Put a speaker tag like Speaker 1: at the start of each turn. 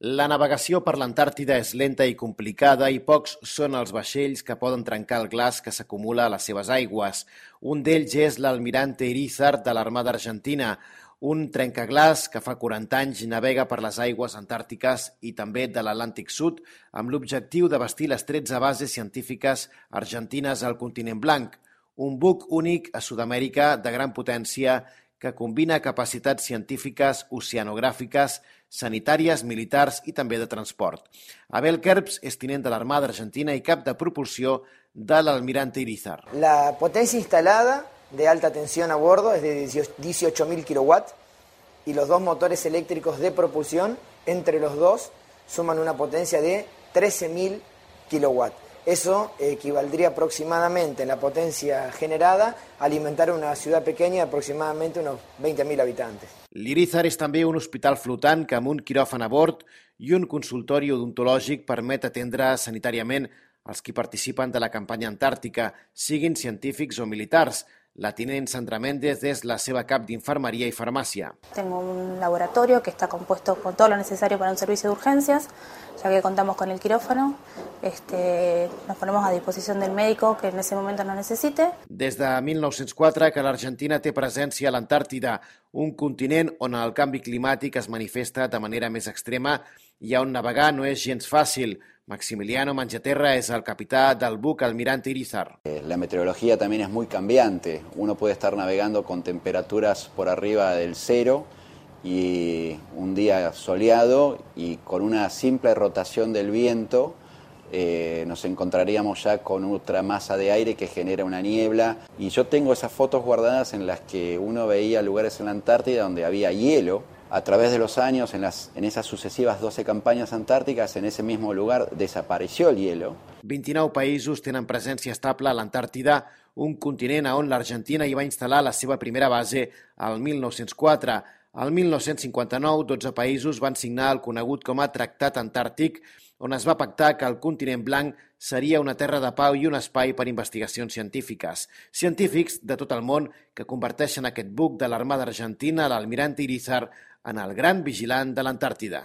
Speaker 1: La navegació per l'Antàrtida és lenta i complicada i pocs són els vaixells que poden trencar el glaç que s'acumula a les seves aigües. Un d'ells és l'Almirante Irízar de l'Armada Argentina, un trencaglaç que fa 40 anys navega per les aigües antàrtiques i també de l'Atlàntic Sud amb l'objectiu de bastir les 13 bases científiques argentines al continent blanc. Un buc únic a Sud-amèrica de gran potència que combina capacitats científiques, oceanogràfiques, sanitàries, militars i també de transport. Abel Kerbs és tinent de l'Armada Argentina i cap de propulsió de l'Almirante Irízar.
Speaker 2: La potencia instalada de alta tensión a bordo es de 18.000 kilowatts y los dos motores eléctricos de propulsión, entre los dos, suman una potencia de 13.000 kilowatts. Eso equivaldría aproximadamente en la potencia generada a alimentar una ciudad pequeña de aproximadamente unos 20.000 habitantes.
Speaker 1: L'Irízar és també un hospital flotant que amb un quiròfan a bord i un consultori odontològic permet atendre sanitàriament els qui participen de la campanya antàrtica, siguin científics o militars. La tinent Sandra Méndez es la seva cap d'infermería y farmacia.
Speaker 3: Tengo un laboratorio que está compuesto con todo lo necesario para un servicio de urgencias, ya que contamos con el quirófano. Nos ponemos a disposición del médico que en ese momento lo necesite.
Speaker 1: Des de 1904 que l'Argentina té presència a l'Antàrtida, un continent on el canvi climàtic es manifesta de manera més extrema i on navegar no és gens fàcil. Maximiliano Mangiaterra es el capitán del buque Almirante Irízar.
Speaker 4: La meteorología también es muy cambiante. Uno puede estar navegando con temperaturas por arriba del 0 y un día soleado y con una simple rotación del viento nos encontraríamos ya con otra masa de aire que genera una niebla. Y yo tengo esas fotos guardadas en las que uno veía lugares en la Antártida donde había hielo. A través de los años, en esas sucesivas 12 campanyes antàrtiques, en ese mismo lugar desapareció el hielo.
Speaker 1: 29 països tenen presència estable a l'Antàrtida, un continent on l'Argentina hi va instal·lar la seva primera base al 1904. Al 1959, 12 països van signar el conegut com a Tractat Antàrtic, on es va pactar que el continent blanc seria una terra de pau i un espai per investigacions científiques. Científics de tot el món que converteixen aquest buc de l'Armada Argentina, l'Almirante Irízar, en el gran vigilant de l'Antàrtida.